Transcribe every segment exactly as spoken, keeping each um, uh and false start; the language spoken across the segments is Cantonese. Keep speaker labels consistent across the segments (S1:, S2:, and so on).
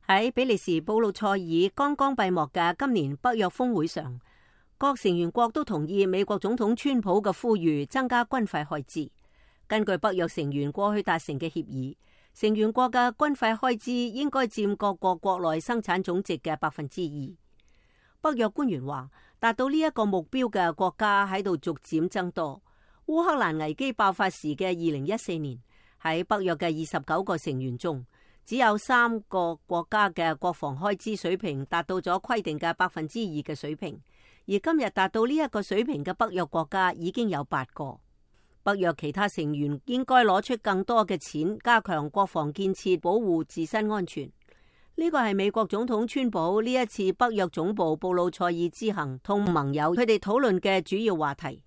S1: 喺比利時布魯塞爾剛剛閉幕嘅今年北約峰會上，各成員國都同意美國總統川普嘅呼籲，增加軍費開支。根據北約成員過去達成嘅協議，成員國嘅軍費開支應該佔各國國內生產總值嘅百分之二。北約官員話，達到呢一個目標嘅國家喺度逐漸增多。烏克蘭危機爆發時嘅二零一四年，喺北約嘅二十九個成員中，只有三個國家嘅國防開支水平達到咗規定嘅百分之二嘅水平，而今日達到呢一個水平嘅北約國家已經有八個。北約其他成員應該攞出更多嘅錢，加強國防建設，保護自身安全。呢個係美國總統川普呢一次北約總部布魯塞爾之行同盟友佢哋討論嘅主要話題。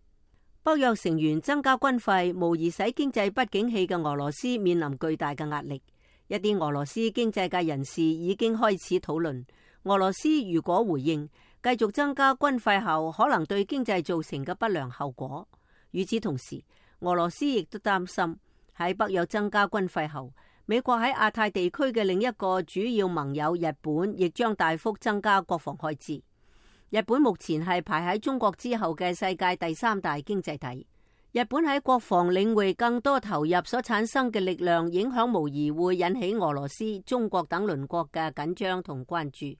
S1: 北約成員增加軍費，無疑使經濟不景氣嘅俄羅斯面臨巨大嘅壓力。一啲俄羅斯經濟界人士已經開始討論，俄羅斯如果回應繼續增加軍費後，可能對經濟造成嘅不良後果。與此同時，俄羅斯亦都擔心喺北約增加軍費後，美國喺亞太地區嘅另一個主要盟友日本亦將大幅增加國防開支。日本目前係排喺中國之後嘅世界第三大經濟體。日本喺國防領域更多投入所產生嘅力量，影響無疑會引起俄羅斯、中國等鄰國嘅緊張同關注。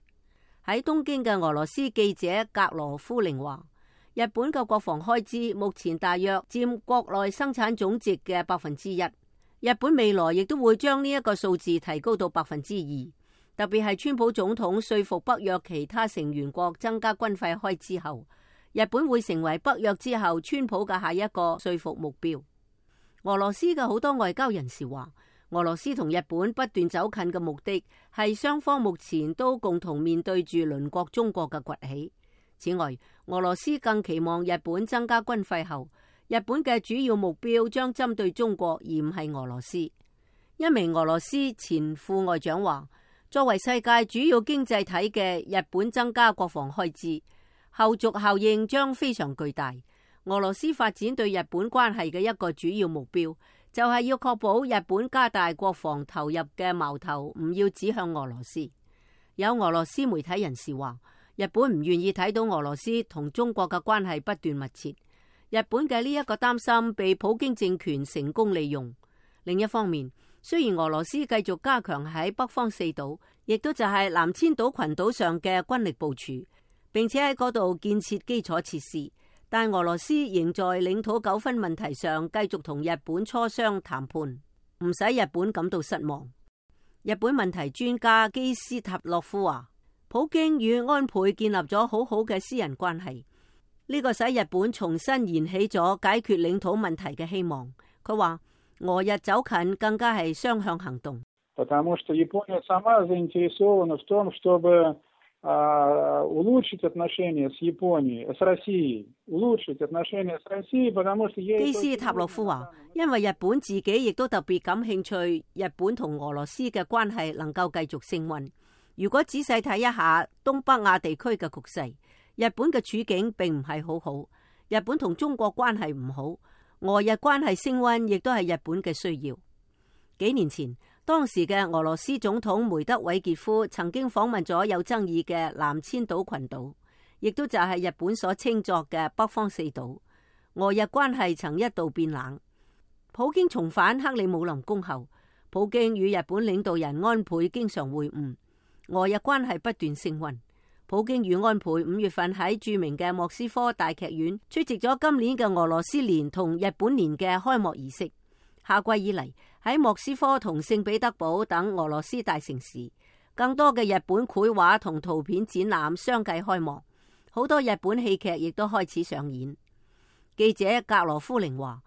S1: 喺東京嘅俄羅斯記者格羅夫寧話，日本嘅國防開支目前大約佔國內生產總值嘅百分之一。日本未來亦都會將呢一個數字提高到百分之二。特別係川普總統說服北約其他成員國增加軍費開支後，日本會成為北約之後川普嘅下一個說服目標。俄羅斯嘅好多外交人士話，俄羅斯同日本不斷走近嘅目的係雙方目前都共同面對住鄰國中國嘅崛起。此外，俄羅斯更期望日本增加軍費後，日本嘅主要目標將針對中國而唔係俄羅斯。一名俄羅斯前副外長話，作為世界主要經濟體嘅日本增加國防開支，後續效應將非常巨大。俄羅斯發展對日本關係嘅一個主要目標，就係要確保日本加大國防投入嘅矛頭唔要指向俄羅斯。有俄羅斯媒體人士話，日本唔願意睇到俄羅斯同中國嘅關係不斷密切。日本嘅呢一個擔心被普京政權成功利用。另一方面，雖然俄羅斯繼續加強喺北方四島，亦都就係南千島群島上嘅軍力部署，並且喺嗰度建設基礎設施，但俄羅斯仍在領土糾紛問題上繼續同日本磋商談判，唔使日本感到失望。日本問題專家基斯塔洛夫話，普京與安倍建立咗好好嘅私人關係，呢個使日本重新燃起咗解決領土問題嘅希望。佢話，俄日走近更加係雙向行動。
S2: потому что Япония сама заинтересована в том, чтобы улучшить отношения с Японией, с Россией, улучшить отношения с Россией, потому что
S1: 基斯塔洛夫話，因為日本自己亦都特別感興趣，日本同俄羅斯嘅關係能夠繼續升溫。如果仔細睇一下東北亞地區嘅局勢，日本嘅處境並唔係好好。日本同中國關係唔好，俄日關係升溫亦都係日本嘅需要。幾年前，當時嘅俄羅斯總統梅德韋傑夫曾經訪問咗有爭議嘅南千島群島，亦都就係日本所稱作嘅北方四島。俄日關係曾一度變冷。普京重返克里姆林宮後，普京與日本領導人安倍經常會晤，俄日關係不斷升溫。普京與安倍五月份喺著名嘅莫斯科大劇院出席咗今年嘅俄羅斯年同日本年嘅開幕儀式。夏季以嚟，喺莫斯科同聖彼得堡等俄羅斯大城市，更多嘅日本繪畫同圖片展覽相繼開幕，好多日本戲劇亦都開始上演。記者格羅夫寧話，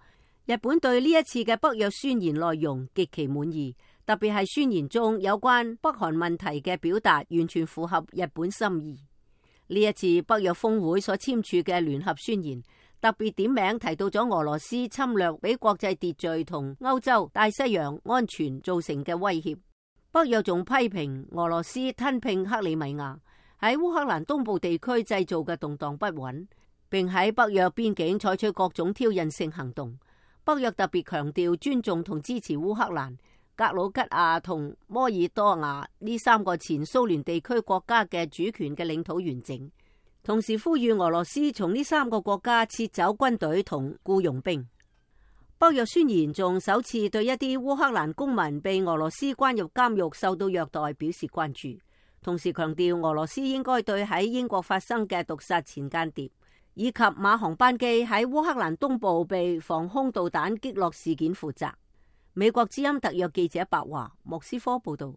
S1: 日本對呢一次嘅北約宣言內容極其滿意，特別係宣言中有關北韓問題嘅表達完全符合日本心意。呢一次北約峰會所簽署嘅聯合宣言，特別點名提到咗俄羅斯侵略俾國際秩序同歐洲大西洋安全造成嘅威脅。北約仲批評俄羅斯吞併克里米亞，喺烏克蘭東部地區製造嘅動盪不穩，並喺北約邊境採取各種挑釁性行動。北約特別強調尊重同支持烏克蘭，格魯吉亞同摩爾多瓦呢三個前蘇聯地區國家嘅主權嘅領土完整，同時呼籲俄羅斯從呢三個國家撤走軍隊同僱傭兵。北約宣言仲首次對一啲烏克蘭公民被俄羅斯關入監獄受到虐待表示關注，同時強調俄羅斯應該對喺英國發生嘅毒殺前間諜以及馬航班機喺烏克蘭東部被防空導彈擊落事件負責。美國之音特約記者白華莫斯科報道。